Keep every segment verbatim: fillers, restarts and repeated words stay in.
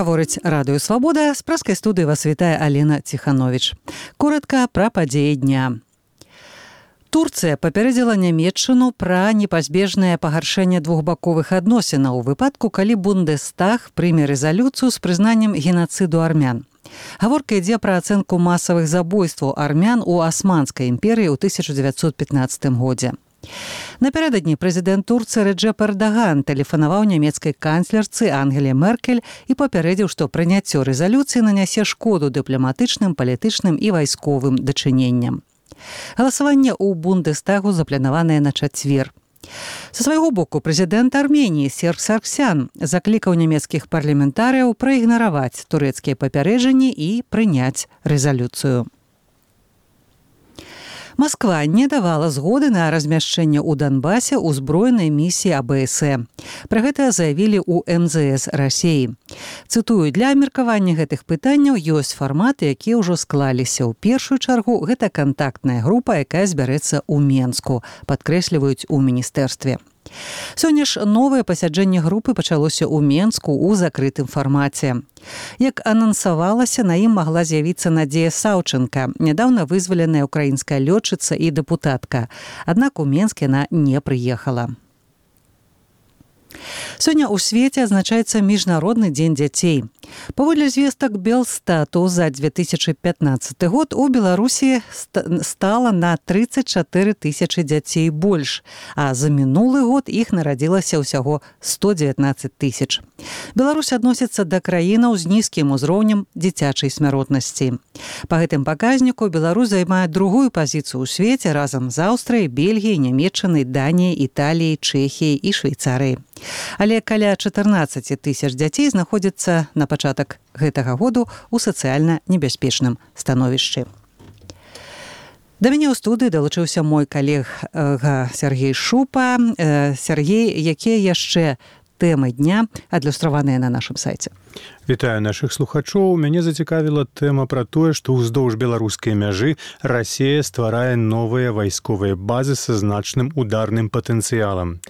Гаворыць радыё «Свабода», з праскай студыі вас вітае Алена Ціхановіч. Коратка пра падзеі дня. Турцыя папярэдзіла Нямецчыну пра непазбежнае пагаршэнне двухбаковых адносінаў у выпадку, калі Бундестаг прыме рэзалюцыю з прызнаннем генацыду армян. Гаворка ідзе пра ацэнку масавых забойстваў армян у Асманскай імперыі ў тысяча дзевяцьсот пятнаццатым годзе. Напярэдадні прэзідэнт Турцыі Рэджэп Эрдаган тэлефанаваў нямецкай канцлерцы Ангеле Меркель і папярэдзіў, што прыняццё рэзалюцыі нанясе шкоду дыпламатычным, палітычным і вайсковым дачыненням. Галасаванне ў Бундестагу запланаванае на чацвер. Са свайго боку прэзідэнт Арменіі Серж Саргсян заклікаў нямецкіх парламентарыяў праігнараваць турэцкія папярэджанні і прыняць рэзалюцыю. Масква не давала згоды на размяшчэнне ў Донбасе ўзброенай місіі А Бэ Эс Э. Пра гэта заявілі ў Эм Зэ Эс Расіі. Цытую, для абмеркавання гэтых пытанняў ёсць фарматы, якія ўжо склаліся. У першую чаргу гэта кантактная група, якая збярэцца ў Менску, падкрэсліваюць у міністэрстве. Сёння ж новае пасяджэнне групы пачалося ў Менску ў закрытым фармаце. Як анансавалася, на ім магла з'явіцца Надзея Саўчэнка, нядаўна вызваленая украінская лётчыца і дэпутатка. Аднак у Менск яна не прыехала. Сёння ў свеце адзначаецца міжнародны дзень дзяцей. Паводле звестак Белстату за две тысячы пятнаццаты год у Беларусі стала на трыццаць чатыры тысячы дзяцей больш, а за мінулы год іх нарадзілася ўсяго сто дзевятнаццаць тысяч. Беларусь адносіцца да краінаў з нізкім узроўнем дзіцячай смяротнасці. Па гэтым паказніку Беларусь займае другую пазіцыю ў свеце разам з Аўстрыяй, Бельгіяй, Нямецчынай, Даніяй, Італіяй, Чэхіяй і Швейцарыяй. Але каля чатырнаццаць тысяч дзяцей знаходзяцца на пачатак гэтага году ў сацыяльна небяспечным становішчы. Да мяне ў студыі далучыўся мой калега Сергей Шупа. Сергей, якія яшчэ тэмы дня адлюстраваныя на нашым сайце? Вітаю нашых слухачоў. Мяне зацікавіла тэма пра тое, што ўздоўж беларускай мяжы Расія стварае новыя вайсковыя базы са значным ударным патэнцыялам.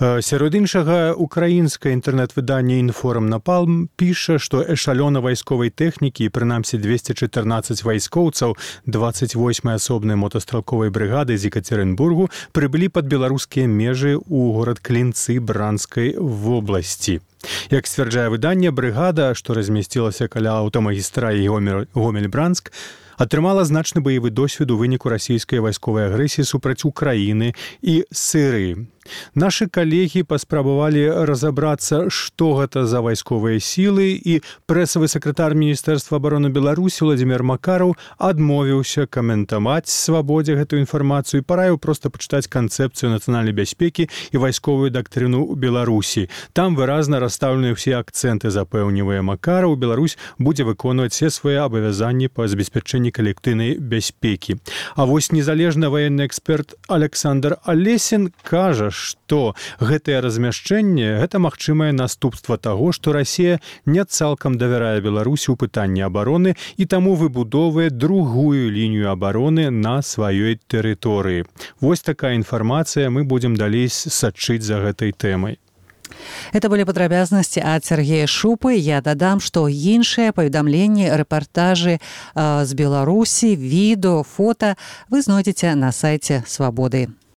Сярод іншага, украінскае інтэрнэт-выданне «Інформ Напалм» піша, што эшалёна вайсковай тэхнікі і прынамсі дзвесце чатырнаццаць вайскоўцаў дваццаць восьмай асобнай мотастралковай брыгады з Екатеринбургу прыбылі пад беларускія межы ў горад Клінцы Бранскай вобласці. Як сцвярджае выданне, брыгада, што размясцілася каля аўтамагістралі Гомель-Бранск, атрымала значны баявы досвед у выніку расійскай вайсковай агрэсіі супраць Украіны і Сірыі. Нашы калегі паспрабавалі разабрацца, што гэта за вайсковыя сілы, і прэсавы сакратар Міністэрства абароны Беларусі Владзімір Макараў адмовіўся каментаваць свабодзе гэтую інфармацыю і параіў проста пачытаць канцэпцыю нацыянальнай бяспекі і вайсковую дактрыну Беларусі. Там выразна расстаўлены ўсе акцэнты, запэўнівае Макараў. Беларусь будзе выконваць все свае абавязанні па забеспячэнні калектыўнай бяспекі. А вось незалежны ваенны эксперт Александр Алесін кажа, што гэтае размяшчэнне – гэта магчымае наступства таго, што Расія не цалкам давярае Беларусі ў пытанні абароны і таму выбудоўвае другую лінію абароны на сваёй тэрыторыі. Вось такая інфармацыя, мы будзем далей сачыць за гэтай тэмай. Это былі падрабязнасці ад Сергея Шупы. Я дадам, што іншыя паведамленні, рэпартажы з Беларусі, відэо, фота вы знойдзеце на сайце «Свабоды».